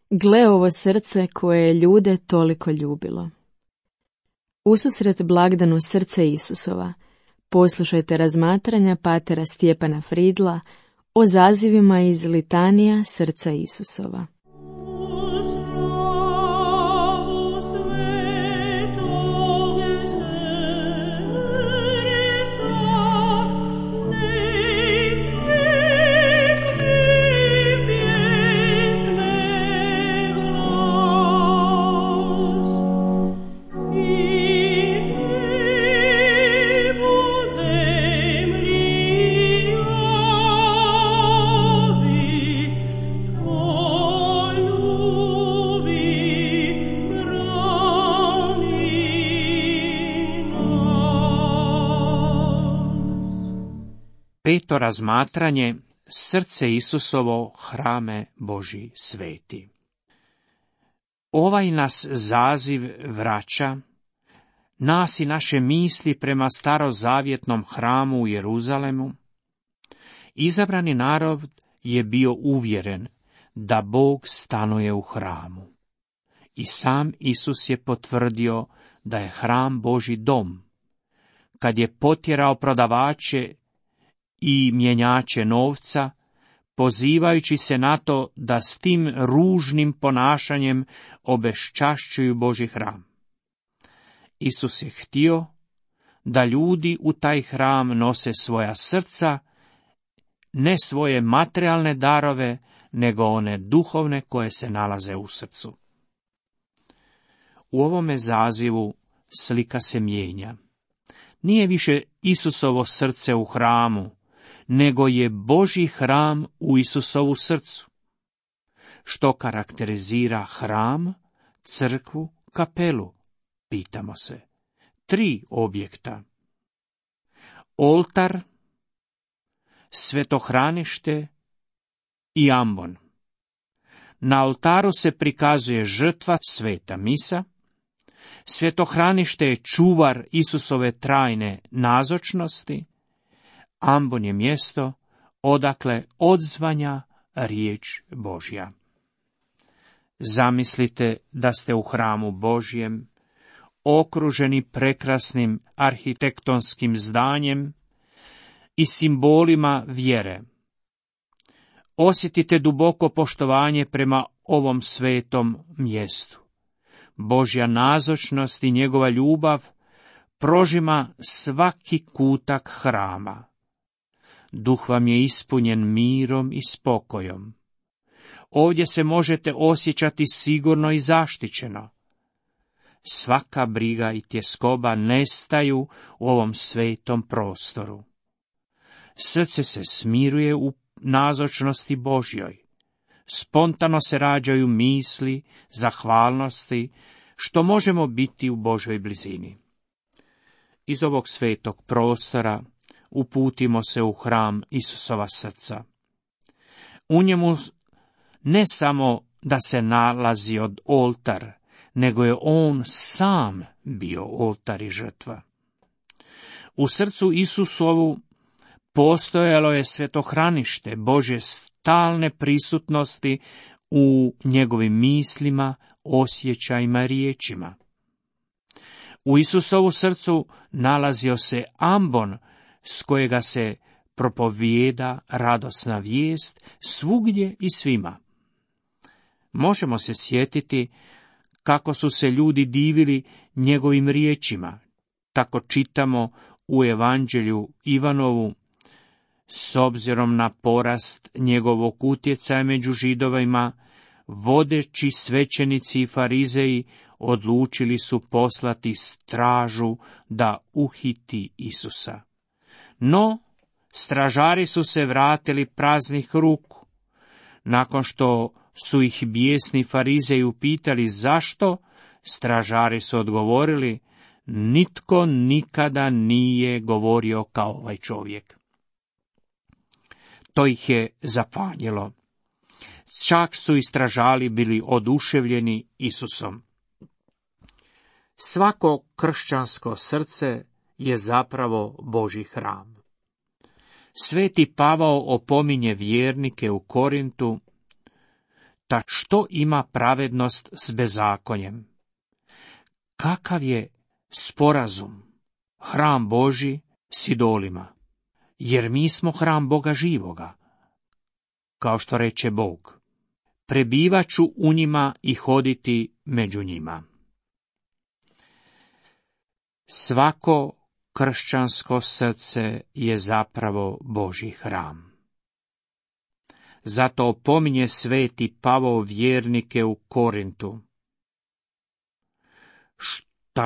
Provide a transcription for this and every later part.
Gle ovo srce koje je ljude toliko ljubilo. Ususret blagdanu srce Isusova, poslušajte razmatranja patera Stjepana Fridla o zazivima iz litanija srca Isusova. Peto razmatranje, srce Isusovo, hrame Božji sveti. Ovaj nas zaziv vraća, nas i naše misli prema starozavjetnom hramu u Jeruzalemu. Izabrani narod je bio uvjeren da Bog stanuje u hramu. I sam Isus je potvrdio da je hram Božji dom, kad je potjerao prodavače i mjenjače novca, pozivajući se na to da s tim ružnim ponašanjem obeščašćuju Božji hram. Isus je htio da ljudi u taj hram nose svoja srca, ne svoje materijalne darove, nego one duhovne koje se nalaze u srcu. U ovome zazivu slika se mijenja. Nije više Isusovo srce u hramu, nego je Božji hram u Isusovu srcu. Što karakterizira hram, crkvu, kapelu, pitamo se. 3 objekta. Oltar, svetohranište i ambon. Na oltaru se prikazuje žrtva, sveta misa. Svetohranište je čuvar Isusove trajne nazočnosti. Ambon je mjesto odakle odzvanja riječ Božja. Zamislite da ste u hramu Božjem, okruženi prekrasnim arhitektonskim zdanjem i simbolima vjere. Osjetite duboko poštovanje prema ovom svetom mjestu. Božja nazočnost i njegova ljubav prožima svaki kutak hrama. Duh vam je ispunjen mirom i spokojom. Ovdje se možete osjećati sigurno i zaštićeno. Svaka briga i tjeskoba nestaju u ovom svetom prostoru. Srce se smiruje u nazočnosti Božjoj. Spontano se rađaju misli, zahvalnosti, što možemo biti u Božjoj blizini. Iz ovog svetog prostora uputimo se u hram Isusova srca. U njemu ne samo da se nalazi od oltar, nego je on sam bio oltar i žrtva. U srcu Isusovu postojalo je svetohranište Božje stalne prisutnosti u njegovim mislima, osjećajima i riječima. U Isusovu srcu nalazio se ambon s kojega se propovijeda radosna vijest svugdje i svima. Možemo se sjetiti kako su se ljudi divili njegovim riječima. Tako čitamo u Evanđelju Ivanovu, s obzirom na porast njegovog utjecaja među Židovima, vodeći svećenici i farizeji odlučili su poslati stražu da uhiti Isusa. No, stražari su se vratili praznih ruku. Nakon što su ih bijesni farizeji upitali zašto, stražari su odgovorili: nitko nikada nije govorio kao ovaj čovjek. To ih je zapanjilo. Čak su i stražari bili oduševljeni Isusom. Svako kršćansko srce je zapravo Božji hram. Sveti Pavao opominje vjernike u Korintu: Ta što ima pravednost s bezakonjem? Kakav je sporazum, hram Božji s idolima? Jer mi smo hram Boga živoga, kao što reče Bog. Prebivaću u njima i hoditi među njima. Svako kršćansko srce je zapravo Božji hram. Zato opominje sveti Pavao vjernike u Korintu.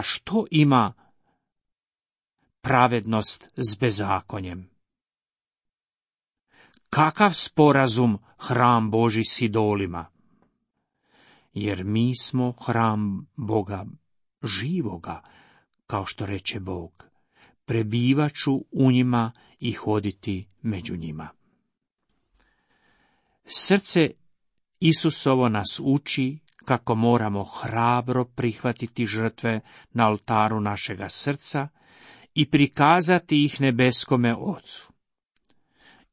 Što ima pravednost s bezakonjem? Kakav sporazum hram Božji s idolima? Jer mi smo hram Boga živoga, kao što reče Bog. Prebivaću u njima i hoditi među njima. Srce Isusovo nas uči kako moramo hrabro prihvatiti žrtve na oltaru našega srca i prikazati ih nebeskome Ocu.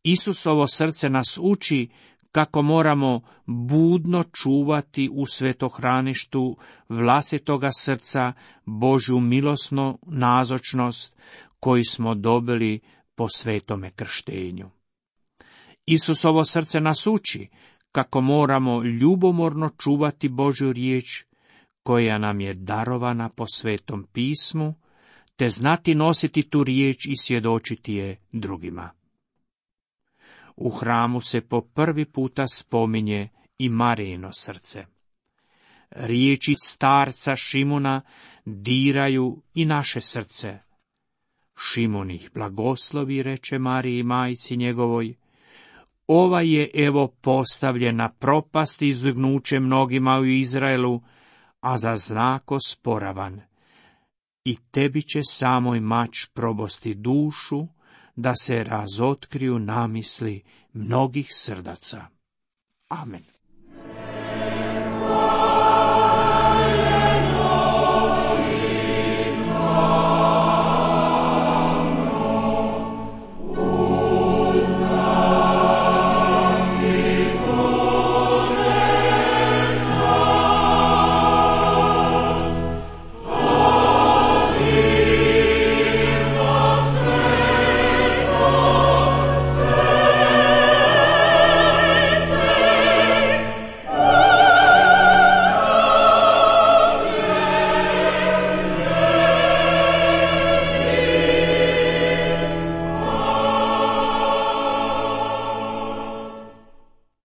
Isusovo srce nas uči kako moramo budno čuvati u svetohraništu vlastitoga srca Božju milosnu nazočnost koju smo dobili po svetome krštenju. Isusovo srce nas uči kako moramo ljubomorno čuvati Božju riječ koja nam je darovana po svetom pismu, te znati nositi tu riječ i svjedočiti je drugima. U hramu se po prvi puta spominje i Marijino srce. Riječi starca Šimuna diraju i naše srce. Šimun ih blagoslovi, reče Mariji majci njegovoj, ovaj je evo postavljen na propast i izgnuće mnogima u Izraelu, a za znak osporavan. I tebi će samoj mač probosti dušu, da se razotkriju namisli mnogih srdaca. Amen.